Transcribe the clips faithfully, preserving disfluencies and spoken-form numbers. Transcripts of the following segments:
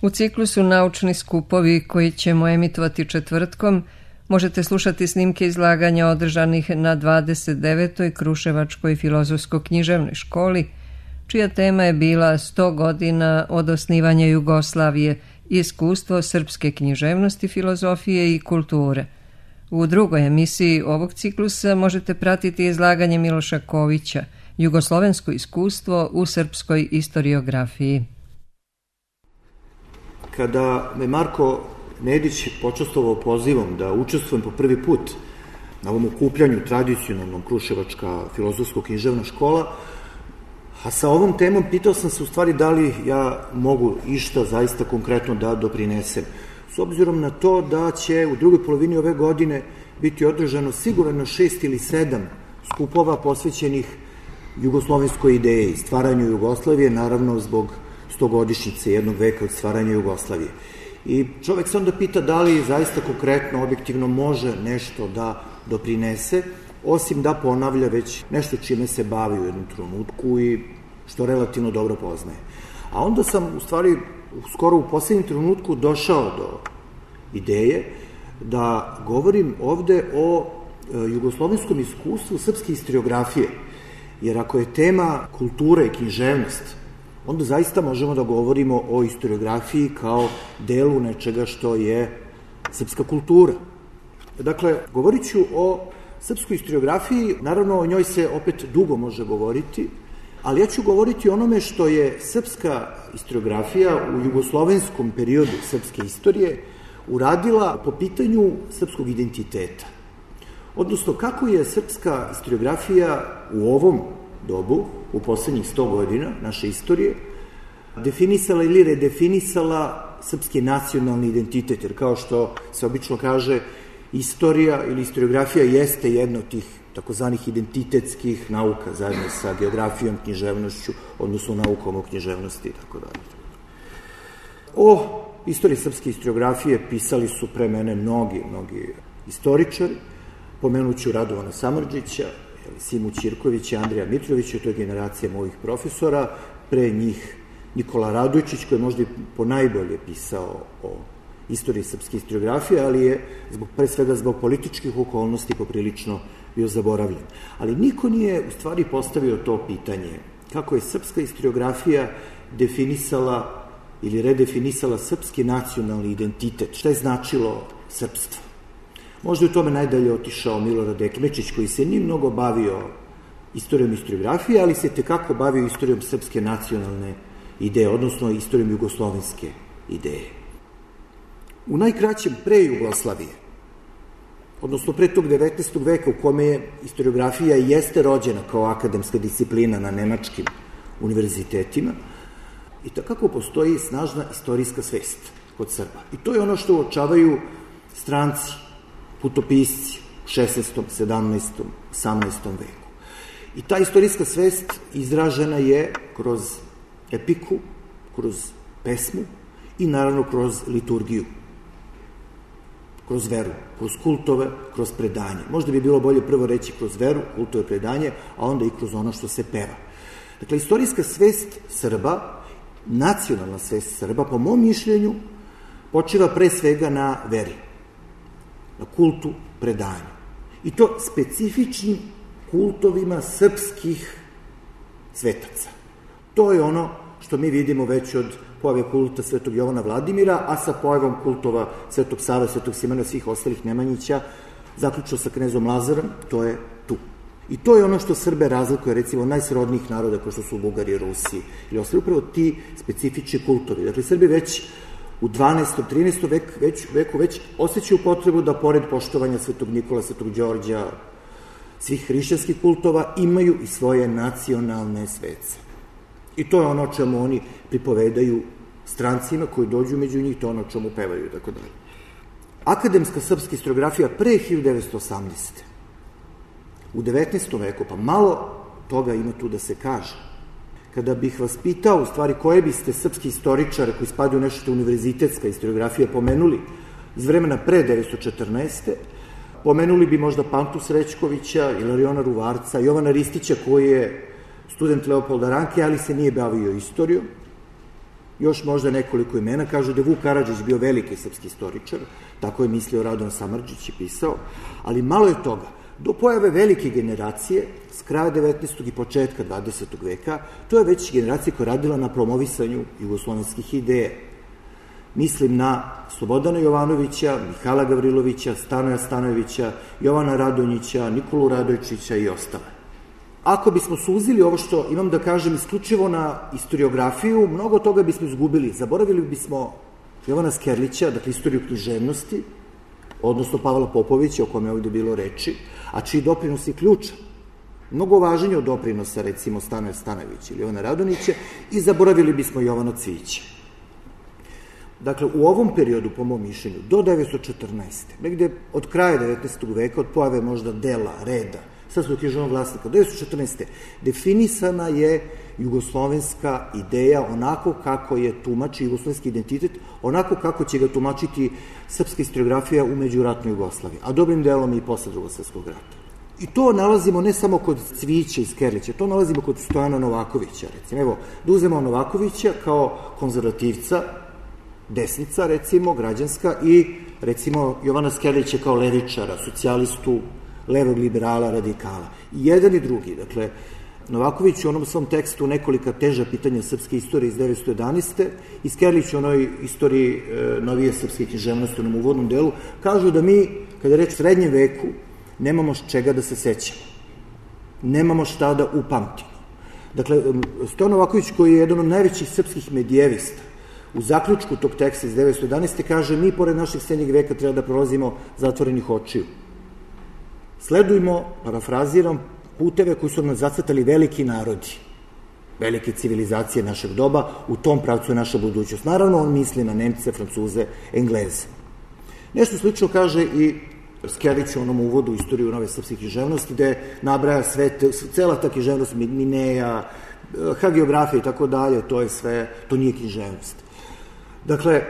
U ciklusu Naučni skupovi koji ćemo emitovati četvrtkom možete slušati snimke izlaganja održanih na dvadeset devetoj Kruševačkoj filozofsko-književnoj školi, čija tema je bila sto godina od osnivanja Jugoslavije i iskustvo srpske književnosti, filozofije i kulture. U drugoj emisiji ovog ciklusa možete pratiti izlaganje Miloša Kovića, Jugoslovensko iskustvo u srpskoj istoriografiji. Kada me Marko Nedić počastvovao pozivom da učestvujem po prvi put na ovom okupljanju tradicionalnom Kruševačka filozofsko-književna škola, a sa ovom temom pitao sam se u stvari da li ja mogu išta zaista konkretno da doprinesem. S obzirom na to da će u drugoj polovini ove godine biti održano sigurno šest ili sedam skupova posvećenih jugoslovenskoj ideji, stvaranju Jugoslavije, naravno zbog stogodišnjice jednog veka od stvaranja Jugoslavije. I čovek se onda pita da li zaista konkretno, objektivno može nešto da doprinese, osim da ponavlja već nešto čime se bavi u jednom trenutku i što relativno dobro poznaje. A onda sam u stvari skoro u poslednjem trenutku došao do ideje da govorim ovde o jugoslovenskom iskustvu srpske istoriografije, jer ako je tema kultura i književnost, onda zaista možemo da govorimo o istoriografiji kao delu nečega što je srpska kultura. Dakle, govorit ću o srpskoj istoriografiji, naravno o njoj se opet dugo može govoriti, ali ja ću govoriti o onome što je srpska istoriografija u jugoslovenskom periodu srpske istorije uradila po pitanju srpskog identiteta. Odnosno, kako je srpska istoriografija u ovom dobu, u poslednjih sto godina naše istorije, definisala ili redefinisala srpski nacionalni identitet, jer kao što se obično kaže, istorija ili istoriografija jeste jedna od tih takozvanih identitetskih nauka, zajedno sa geografijom, književnošću, odnosno naukom o književnosti i tako dalje. O istoriji srpske istoriografije pisali su pre mene mnogi, mnogi istoričari. Pomenuću Radovana Samardžića, Simu Ćirkovića, Andrija Mitrovića, to je generacija mojih profesora, pre njih Nikola Radojčić, koji je možda i ponajbolje pisao o istoriji srpske istoriografije, ali je zbog, pre svega zbog političkih okolnosti poprilično bio zaboravljen. Ali niko nije u stvari postavio to pitanje, kako je srpska istoriografija definisala ili redefinisala srpski nacionalni identitet, šta je značilo srpstvo. Možda je u tome najdalje otišao Milorad Ekmečić, koji se nije mnogo bavio istorijom istoriografije, ali se tekako bavio istorijom srpske nacionalne ideje, odnosno istorijom jugoslovenske ideje. U najkraćem pre Jugoslavije, odnosno pre tog devetnaestog veka u kome je istoriografija jeste rođena kao akademska disciplina na nemačkim univerzitetima, i takako postoji snažna istorijska svest kod Srba. I to je ono što uočavaju stranci, putopisci u šesnaestom, sedamnaestom, osamnaestom veku. I ta istorijska svest izražena je kroz epiku, kroz pesmu i naravno kroz liturgiju, kroz veru, kroz kultove, kroz predanje. Možda bi bilo bolje prvo reći kroz veru, kultove, predanje, a onda i kroz ono što se peva. Dakle, istorijska svest Srba, nacionalna svest Srba, po mom mišljenju, počiva pre svega na veri, na kultu predanja. I to specifičnim kultovima srpskih svetaca. To je ono što mi vidimo već od pojave kulta Svetog Jovana Vladimira, a sa pojavom kultova Svetog Save, Svetog Simona i svih ostalih Nemanjića, zaključno sa knezom Lazarom, to je tu. I to je ono što Srbe razlikuje, recimo, najsrodnijih naroda, kao što su Bugari, Rusi, ili ostali upravo ti specifični kultovi. Dakle, Srbi već u dvanaestom, trinaestom veku već, veku već osjećaju potrebu da, pored poštovanja Svetog Nikola, Svetog Đorđa, svih hrišćanskih kultova, imaju i svoje nacionalne svece. I to je ono o čemu oni pripovedaju strancima koji dođu među njih, to je ono o čemu pevaju i tako dalje. Akademska srpska istoriografija pre hiljadu devetsto osamdesete. U devetnaestom veku, pa malo toga ima tu da se kaže. Kada bih vas pitao, u stvari, koje biste srpski istoričare koji spadaju nešto što je univerzitetska istoriografija pomenuli iz vremena pre devetsto četrnaeste. Pomenuli bi možda Pantu Srećkovića, Ilariona Ruvarca, Jovana Ristića, koji je student Leopolda Ranke, ali se nije bavio istorijom. Još možda nekoliko imena, kažu da je Vuk Karadžić bio veliki srpski istoričar, tako je mislio Radovan Samardžić i pisao, ali malo je toga. Do pojave velike generacije, s kraja devetnaestog i početka dvadesetog veka, to je već generacija koja je radila na promovisanju jugoslovenskih ideja. Mislim na Slobodana Jovanovića, Mihajla Gavrilovića, Stanoja Stanojevića, Jovana Radonjića, Nikolu Radojčića i ostale. Ako bismo suzili ovo što imam da kažem isključivo na historiografiju, mnogo toga bismo izgubili. Zaboravili bismo Jovana Skerlića, dakle istoriju književnosti, odnosno Pavla Popovića, o kome je ovde bilo reči, a čiji doprinos je ključan. Mnogo važniji od doprinosa, recimo, Stanoja Stanojevića ili Jovana Radonjića, i zaboravili bismo Jovana Cvijića. Dakle, u ovom periodu, po mom mišljenju, do devetsto četrnaeste. negde od kraja devetnaestog veka, od pojave možda dela, reda, srpskog književnog glasnika, devetsto četrnaeste. definisana je jugoslovenska ideja onako kako je tumači jugoslovenski identitet, onako kako će ga tumačiti srpska historiografija u međuratnoj Jugoslaviji, a dobrim delom i posle Drugog svetskog rata. I to nalazimo ne samo kod Cvijića i Skerlića, to nalazimo kod Stojana Novakovića, recimo. Evo, da uzmemo Novakovića kao konzervativca, desnica, recimo, građanska, i, recimo, Jovana Skerlića kao levičara, socijalistu, levog liberala, radikala. I jedan i drugi. Dakle, Novaković u onom svom tekstu Nekolika teža pitanja srpske istorije iz devetsto jedanaeste i Skerlić u onoj istoriji e, novije srpske književnosti u onom uvodnom delu, kažu da mi, kada je reč o srednjem veku, nemamo čega da se sećamo. Nemamo šta da upamtimo. Dakle, Stojan Novaković, koji je jedan od najvećih srpskih medijevista, u zaključku tog teksta iz devetsto jedanaeste kaže: mi, pored našeg srednjeg veka, treba da prolazimo zatvorenih očiju. Sledujmo, parafraziram, puteve koji su nam zacrtali veliki narodi, velike civilizacije našeg doba, u tom pravcu je naša budućnost. Naravno, on misli na Nemce, Francuze, Engleze. Nešto slično kaže i Skerlić u onom uvodu u istoriju nove srpske književnosti, gde nabraja sve, cela ta književnost, Mineja, hagiografija i tako dalje, to je sve, to nije književnost. Dakle,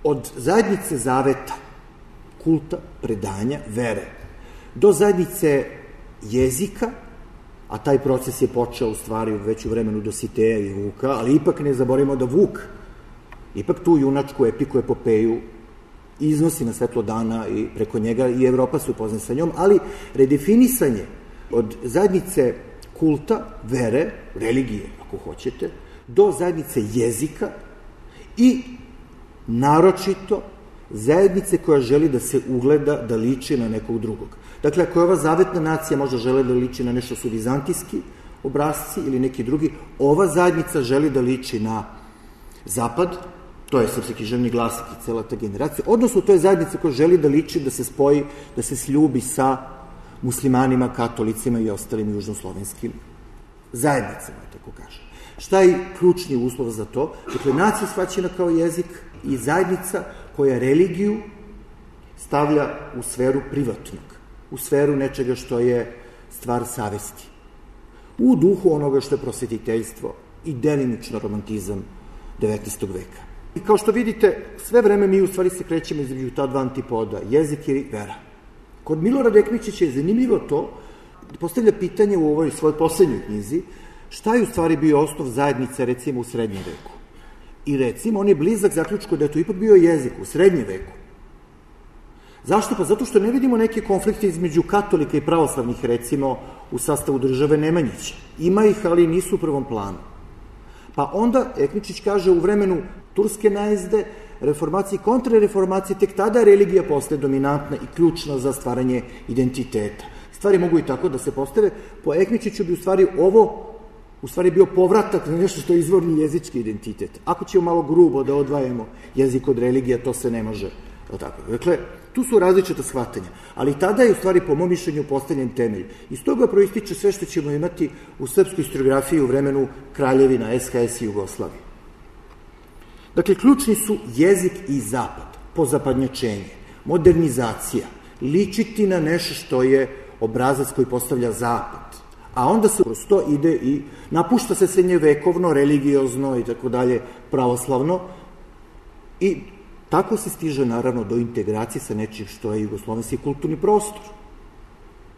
od zajednice zaveta, kulta, predanja, vere, do zajednice jezika, a taj proces je počeo u stvari već u vremenu Dositeja i Vuka, ali ipak ne zaboravimo da Vuk ipak tu junačku epiku, epopeju iznosi na svetlo dana i preko njega i Evropa se upozna sa njom, ali redefinisanje od zajednice kulta, vere, religije, ako hoćete, do zajednice jezika i naročito zajednice koja želi da se ugleda, da liči na nekog drugog. Dakle, ako je ova zavetna nacija možda žele da liči na nešto su vizantijski obrazci ili neki drugi, ova zajednica želi da liči na zapad, to je srpski književni glasnik i cela ta generacija, odnosno to je zajednica koja želi da liči, da se spoji, da se sljubi sa muslimanima, katolicima i ostalim južnoslovenskim zajednicama, tako kaže. Šta je ključni uslov za to? Dakle, nacija shvaćena kao jezik i zajednica koja religiju stavlja u sferu privatnog, u sferu nečega što je stvar savesti, u duhu onoga što je prosvetiteljstvo i delimično romantizam devetnaestog veka. I kao što vidite, sve vreme mi u stvari se krećemo između ta dva antipoda, jezik i vera. Kod Milorada Ekmičića je zanimljivo to, postavlja pitanje u ovoj svojoj poslednjoj knjizi, šta je u stvari bio osnov zajednice, recimo, u srednjem veku. I recimo, on je blizak zaključku da je to ipak bio jezik u srednjem veku. Zašto? Pa zato što ne vidimo neke konflikte između katolika i pravoslavnih, recimo, u sastavu države Nemanjića. Ima ih, ali nisu u prvom planu. Pa onda, Ekmičić kaže, u vremenu turske najezde, reformacije i kontrareformacije, tek tada religija postaje dominantna i ključna za stvaranje identiteta. Stvari mogu i tako da se postave. Po Ekmičiću bi u stvari ovo u stvari bio povratak na nešto što je izvorni jezički identitet. Ako ćemo malo grubo da odvajamo jezik od religija, to se ne može. Dakle, tu su različita shvatanja, ali tada je u stvari po mom mišljenju postavljen temelj. Iz toga proističe sve što ćemo imati u srpskoj historiografiji u vremenu Kraljevina, S H S i Jugoslavije. Dakle, ključni su jezik i zapad, pozapadnjačenje, modernizacija, ličiti na nešto što je obrazac koji postavlja zapad, a onda se kroz to ide i napušta se srednjevekovno, religiozno i tako dalje, pravoslavno, i tako se stiže naravno do integracije sa nečim što je jugoslovenski kulturni prostor.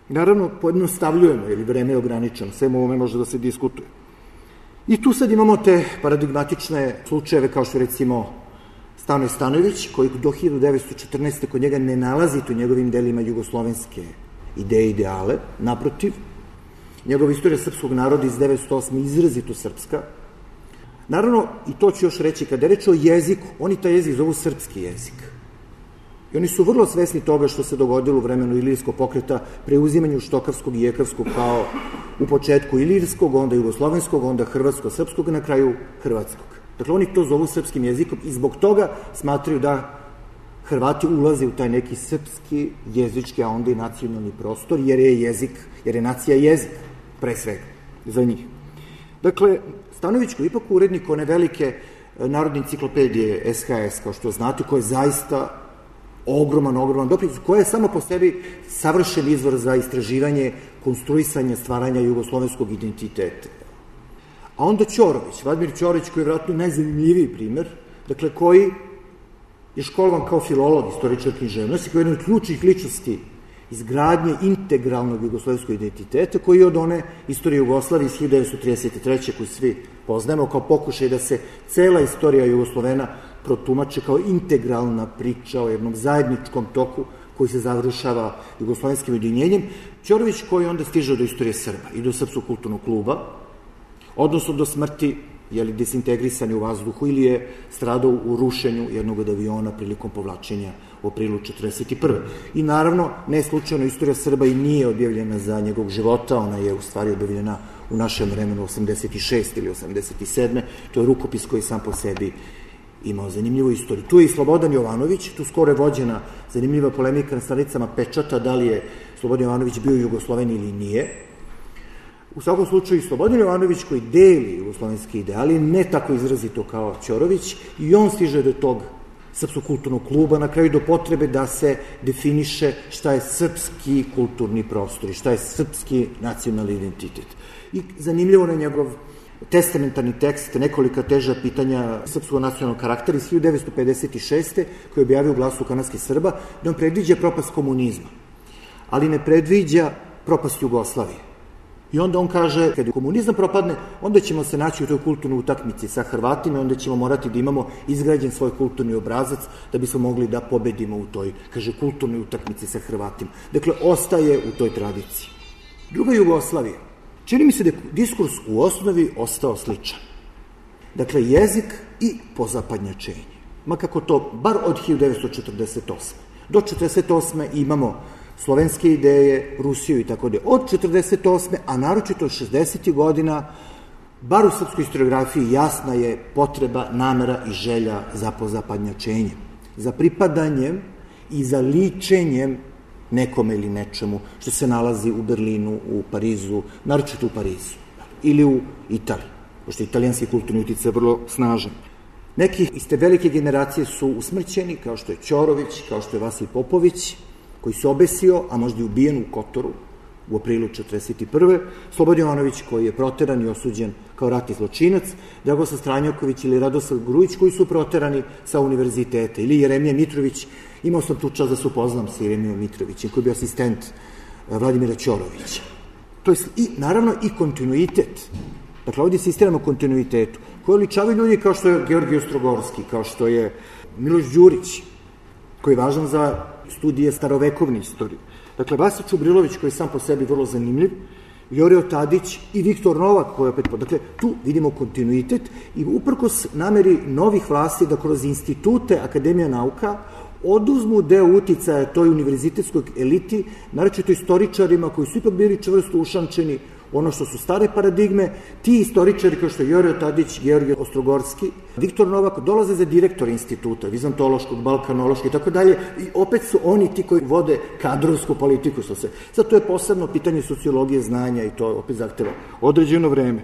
Naravno, pojednostavljujemo, jer vreme je ograničeno, sve ovome može da se diskutuje. I tu sad imamo te paradigmatične slučajeve kao što recimo Stanoje Stanojević, koji do hiljadu devetsto četrnaeste. kod njega ne nalazite u njegovim delima jugoslovenske ideje i ideale, naprotiv. Njegova istorija srpskog naroda iz devetsto osme. izrazito srpska. Naravno, i to ću još reći, kada je reč o jeziku, oni taj jezik zovu srpski jezik. I oni su vrlo svesni toga što se dogodilo u vremenu Ilirskog pokreta, preuzimanju štokavskog i jekavskog kao u početku ilirskog, onda jugoslovenskog, onda hrvatsko-srpskog, na kraju hrvatskog. Dakle, oni to zovu srpskim jezikom i zbog toga smatraju da Hrvati ulaze u taj neki srpski jezički, a onda i nacionalni prostor, jer je jezik, jer je nacija jezik, pre svega, za njih. Dakle, Stanojević koji je ipak urednik one velike narodne enciklopedije S H S, kao što znate, koja je zaista ogroman, ogroman doprinos, koja je samo po sebi savršen izvor za istraživanje, konstruisanje, stvaranja jugoslovenskog identiteta. A onda Ćorović, Vladimir Ćorović, koji je vjerojatno najzanimljiviji primer, dakle, koji je školovan kao filolog, istoričar književnosti, koji je jedna od ključnih ličnosti izgradnje integralnog jugoslovenskog identiteta, koji je od one istorije Jugoslavije iz hiljadu devetsto trideset treće. koju svi poznajemo kao pokušaj da se cela istorija Jugoslovena protumače kao integralna priča o jednom zajedničkom toku koji se završava jugoslovenskim ujedinjenjem. Ćorović koji onda stiže do istorije Srba i do Srpskog kulturnog kluba, odnosno do smrti, je li desintegrisan u vazduhu ili je stradao u rušenju jednog od aviona prilikom povlačenja u aprilu četrdeset prve. I naravno, ne slučajno, istorija Srba i nije objavljena za njegovog života, ona je u stvari objavljena u našem vremenu osamdeset šeste ili osamdeset sedme. To je rukopis koji sam po sebi imao zanimljivu istoriju. Tu je i Slobodan Jovanović, tu skoro je vođena zanimljiva polemika na stranicama Pečata, da li je Slobodan Jovanović bio Jugosloven ili nije. U svakom slučaju, Slobodan Jovanović koji deli jugoslovenske ideali, ne tako izrazito kao Ćorović, i on stiže do tog Srpskog kulturnog kluba, na kraju do potrebe da se definiše šta je srpski kulturni prostor i šta je srpski nacionalni identitet. I zanimljivo na njegov testamentarni tekst, nekolika teža pitanja srpskog nacionalnog karaktera iz hiljadu devetsto pedeset šeste. koji je objavio u Glasu kanadskih Srba, da on predviđa propast komunizma, ali ne predviđa propast Jugoslavije. I onda on kaže, kada komunizam propadne, onda ćemo se naći u toj kulturnoj utakmici sa Hrvatima, onda ćemo morati da imamo izgrađen svoj kulturni obrazac da bismo mogli da pobedimo u toj, kaže, kulturnoj utakmici sa Hrvatima. Dakle, ostaje u toj tradiciji. Druga Jugoslavija. Čini mi se da je diskurs u osnovi ostao sličan. Dakle, jezik i pozapadnjačenje. Ma kako to, bar od hiljadu devetsto četrdeset osme. Do četrdeset osme imamo slovenske ideje, Rusiju i tako da. Od četrdeset osme, a naročito od šezdesetih godina, bar u srpskoj historiografiji jasna je potreba, namera i želja za pozapadnjačenjem, za pripadanjem i za ličenjem nekome ili nečemu što se nalazi u Berlinu, u Parizu, naročito u Parizu, ili u Italiji, pošto je italijanski kulturni uticaj vrlo snažan. Neki iz te velike generacije su usmrćeni, kao što je Ćorović, kao što je Vasilij Popović, koji se obesio, a možda i ubijen u Kotoru u aprilu četrdeset prve. Slobodan Jovanović, koji je proteran i osuđen kao ratni zločinac, Dragoslav Stranjaković ili Radoslav Grujić, koji su proterani sa univerziteta, ili Jeremija Mitrović. Imao sam tu čast da se upoznam sa Jeremijom Mitrovićem, koji je bio asistent Vladimira Ćorovića. To je i, naravno, i kontinuitet. Dakle, ovdje se istiramo kontinuitetu, koji ličavaju ljudi kao što je Georgij Ostrogorski, kao što je Miloš Đurić, koji je važan za studije starovekovne istorije. Dakle, Vasa Čubrilović, koji je sam po sebi vrlo zanimljiv, Jorio Tadić i Viktor Novak, koji je opet... Dakle, tu vidimo kontinuitet i uprkos nameri novih vlasti da kroz institute Akademija nauka oduzmu deo uticaja toj univerzitetskoj eliti, naročito istoričarima koji su ipak bili čvrsto ušančeni ono što su stare paradigme. Ti istoričari kao što je Jorio Tadić, Georgij Ostrogorski, Viktor Novak dolaze za direktor instituta, vizantološkog, balkanološkog i tako dalje, i opet su oni ti koji vode kadrovsku politiku. Zato je posebno pitanje sociologije znanja i to opet zahteva određeno vreme.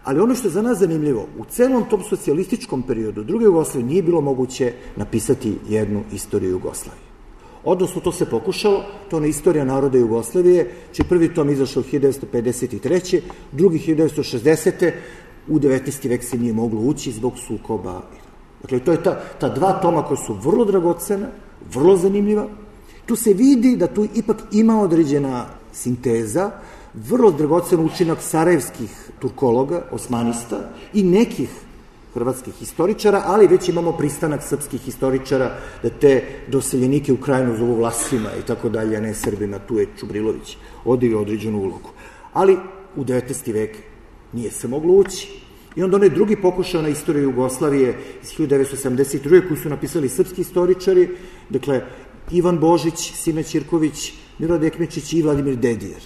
Ali ono što je za nas zanimljivo, u celom tom socijalističkom periodu druge Jugoslavije nije bilo moguće napisati jednu istoriju Jugoslavije. Odnosno, to se pokušalo, to je istorija naroda Jugoslavije, čiji prvi tom izašao hiljadu devetsto pedeset treće. drugi hiljadu devetsto šezdesete. U devetnaesti vek se nije moglo ući zbog sukoba. Dakle, to je ta, ta dva toma koja su vrlo dragocena, vrlo zanimljiva. Tu se vidi da tu ipak ima određena sinteza, vrlo dragocen učinak sarajevskih turkologa, osmanista i nekih hrvatskih historičara, ali već imamo pristanak srpskih historičara da te doseljenike u Krajinu zovu Vlasima i tako dalje, a ne Srbima, tu je Čubrilović odigrao određenu ulogu. Ali u devetnaesti vek nije se moglo ući. I onda onaj drugi pokušao na istoriju Jugoslavije iz hiljadu devetsto sedamdeset druge koji su napisali srpski historičari, dakle Ivan Božić, Sime Ćirković, Milorad Ekmečić i Vladimir Dedijer,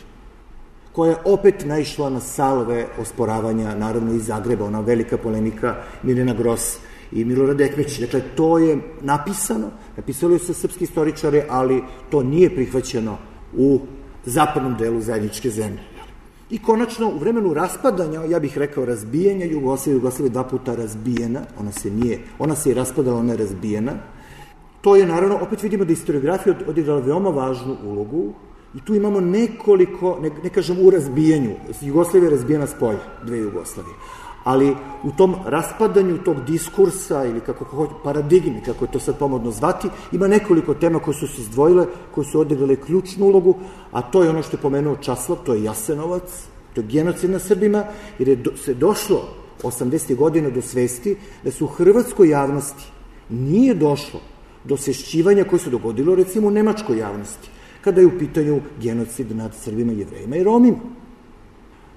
koja je opet naišla na salve osporavanja, naravno iz Zagreba, ona velika polemika Mirjana Gros i Milorad Ekmečić. Dakle, to je napisano, napisali su srpski historičari, ali to nije prihvaćeno u zapadnom delu zajedničke zemlje. I konačno, u vremenu raspadanja, ja bih rekao razbijanja Jugoslavije, Jugoslavije dva puta razbijena, ona se nije, ona se i raspadala, ona je razbijena. To je, naravno, opet vidimo da historiografija odigrala veoma važnu ulogu i tu imamo nekoliko, ne, ne kažem u razbijanju, Jugoslavija je razbijena s polja, dve Jugoslavije, ali u tom raspadanju tog diskursa ili kako paradigmi, kako je to sad pomodno zvati, ima nekoliko tema koje su se izdvojile, koje su odigrale ključnu ulogu, a to je ono što je pomenuo Časlav, to je Jasenovac, to je genocid nad Srbima, jer je do, se došlo osamdesetih godina do svesti da se u hrvatskoj javnosti nije došlo do osvešćivanja koje se dogodilo recimo u nemačkoj javnosti, kada je u pitanju genocid nad Srbima, Jevrejima i Romima.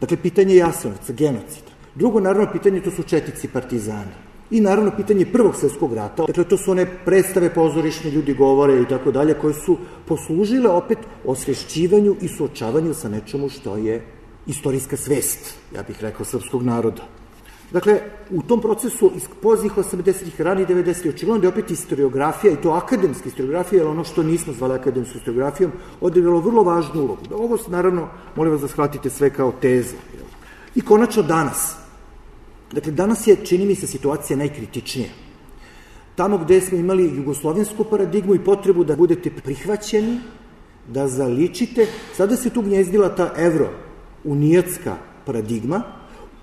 Dakle, pitanje Jasenovca, genocida. Drugo, naravno, pitanje, to su četnici partizani. I naravno, pitanje Prvog svjetskog rata. Dakle, to su one predstave pozorišne, ljudi govore i tako dalje, koje su poslužile opet osvešćivanju i suočavanju sa nečemu što je istorijska svest, ja bih rekao, srpskog naroda. Dakle, u tom procesu iz poznih osamdesetih, ranih devedesetih, očigledno da je opet historiografija, i to akademska historiografija, jer ono što nismo zvali akademskom historiografijom, odigralo vrlo važnu ulogu. Ovo, naravno, molim vas da shvatite sve kao teze. I konačno danas. Dakle, danas je, čini mi se, situacija najkritičnija. Tamo gde smo imali jugoslovensku paradigmu i potrebu da budete prihvaćeni, da zaličite, sada se tu gnjezdila ta evro-unijatska paradigma,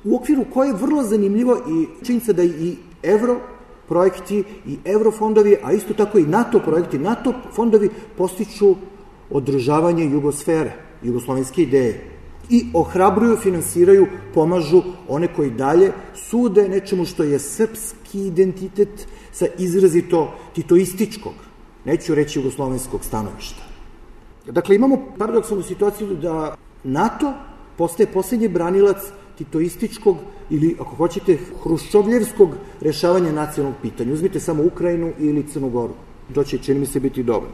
u okviru koje je vrlo zanimljivo i činjenica da i evro projekti i eurofondovi, a isto tako i NATO projekti, NATO fondovi postiču održavanje jugosfere, jugoslovenske ideje i ohrabruju, finansiraju, pomažu one koji dalje sude nečemu što je srpski identitet sa izrazito titoističkog, neću reći jugoslovenskog stanovišta. Dakle, imamo paradoksalnu situaciju da NATO postaje poslednji branilac titoističkog ili, ako hoćete, hruščovljevskog rešavanja nacionalnog pitanja. Uzmite samo Ukrajinu ili Crnu Goru. To će, čini mi se, biti dobro.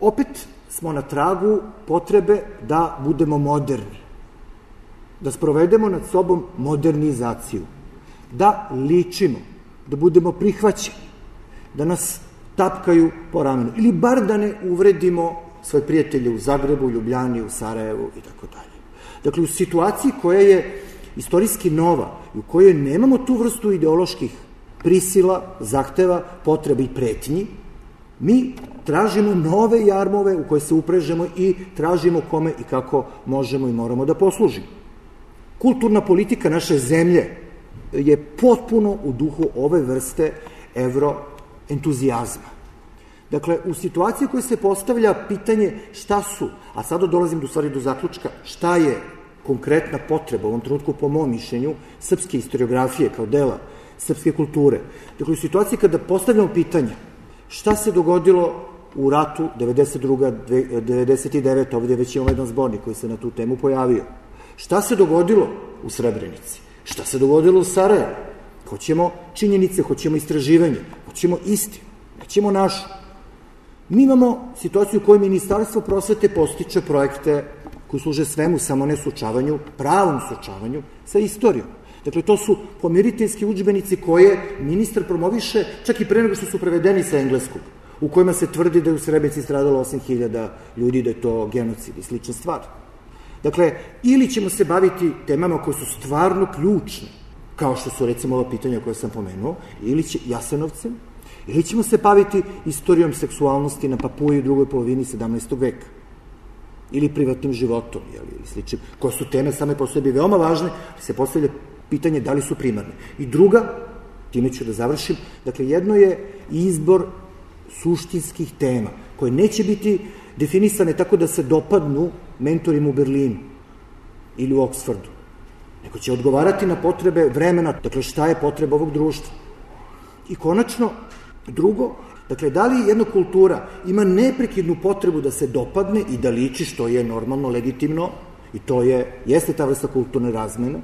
Opet smo na tragu potrebe da budemo moderni, da sprovedemo nad sobom modernizaciju, da ličimo, da budemo prihvaćeni, da nas tapkaju po ramenu, ili bar da ne uvredimo svoje prijatelje u Zagrebu, Ljubljani, u Sarajevu i tako dalje. Dakle, u situaciji koja je istorijski nova i u kojoj nemamo tu vrstu ideoloških prisila, zahteva, potreba i pretnji, mi tražimo nove jarmove u koje se uprežemo i tražimo kome i kako možemo i moramo da poslužimo. Kulturna politika naše zemlje je potpuno u duhu ove vrste evroentuzijazma. Dakle, u situaciji koja se postavlja pitanje šta su, a sada dolazim do stvari do zaključka, šta je konkretna potreba u ovom trenutku, po mom mišljenju, srpske historiografije kao dela srpske kulture. Dakle, u situaciji kada postavljamo pitanje šta se dogodilo u ratu devedeset druga devedeset deveta ovdje već imamo jedan zbornik koji se na tu temu pojavio. Šta se dogodilo u Srebrenici? Šta se dogodilo u Sarajevu? Hoćemo činjenice, hoćemo istraživanje, hoćemo istinu, hoćemo našu. Mi imamo situaciju u kojoj Ministarstvo prosvete postiče projekte koji služe svemu, samo ne suočavanju, pravom suočavanju sa istorijom. Dakle, to su pomiriteljski udžbenici koje ministar promoviše čak i pre nego što su prevedeni sa engleskog, u kojima se tvrdi da je u Srebrenici stradalo osam hiljada ljudi, da je to genocid i slične stvari. Dakle, ili ćemo se baviti temama koje su stvarno ključne, kao što su recimo ova pitanja koje sam pomenuo, ili će Jasenovcem, ili ćemo se baviti istorijom seksualnosti na Papuji u drugoj polovini sedamnaestog veka, ili privatnim životom, ili sličnim, koje su teme same po sebi veoma važne, ali se postavlja pitanje da li su primarne. I druga, time ću da završim, dakle, jedno je izbor suštinskih tema, koje neće biti definisane tako da se dopadnu mentorima u Berlinu, ili u Oksfordu, nego će odgovarati na potrebe vremena, dakle šta je potreba ovog društva. I konačno, drugo, dakle, da li jedna kultura ima neprekidnu potrebu da se dopadne i da liči, što je normalno, legitimno, i to je, jeste ta vrsta kulturne razmene,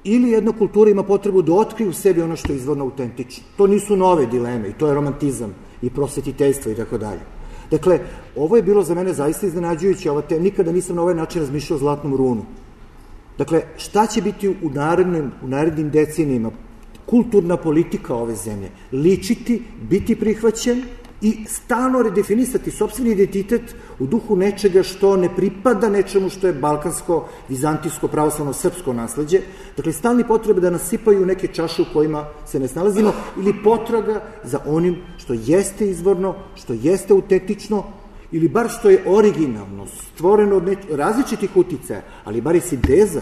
ili jedna kultura ima potrebu da otkrije u sebi ono što je izvorno autentično. To nisu nove dileme i to je romantizam i prosvetiteljstvo i tako dalje. Dakle, ovo je bilo za mene zaista iznenađujuće, ova te, nikada nisam na ovaj način razmišljao o Zlatnom runu. Dakle, šta će biti u narednim, u narednim decenijima kulturna politika ove zemlje? Ličiti, biti prihvaćen i stalno redefinisati sopstveni identitet u duhu nečega što ne pripada nečemu što je balkansko, vizantijsko, pravoslavno, srpsko nasleđe. Dakle, stalni potrebe da nas sipaju u neke čaše u kojima se ne snalazimo ili potraga za onim što jeste izvorno, što jeste autentično ili bar što je originalno, stvoreno od neč- različitih uticaja, ali bar je sinteza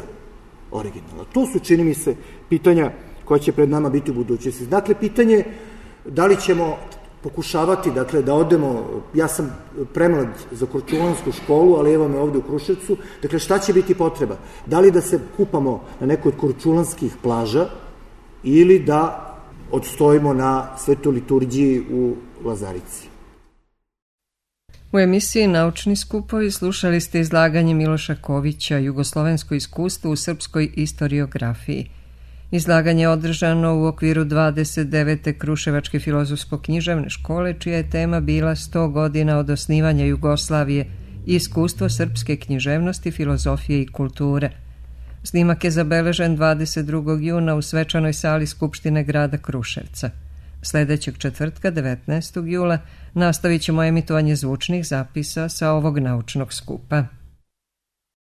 originalna. To su, čini mi se, pitanja koja će pred nama biti u budućnosti. Dakle, pitanje da li ćemo pokušavati, dakle, da odemo, ja sam premlad za Korčulansku školu, ali evo me ovde u Kruševcu, dakle, šta će biti potreba? Da li da se kupamo na nekoj od korčulanskih plaža ili da odstojimo na svetoj liturgiji u Lazarici? U emisiji Naučni skupovi slušali ste izlaganje Miloša Kovića, Jugoslovensko iskustvo u srpskoj istoriografiji. Izlaganje je održano u okviru dvadeset devete Kruševačke filozofsko-književne škole, čija je tema bila sto godina od osnivanja Jugoslavije i iskustvo srpske književnosti, filozofije i kulture. Snimak je zabeležen dvadeset drugog juna u svečanoj sali Skupštine grada Kruševca. Sledećeg četvrtka, devetnaestog jula, nastavit ćemo emitovanje zvučnih zapisa sa ovog naučnog skupa.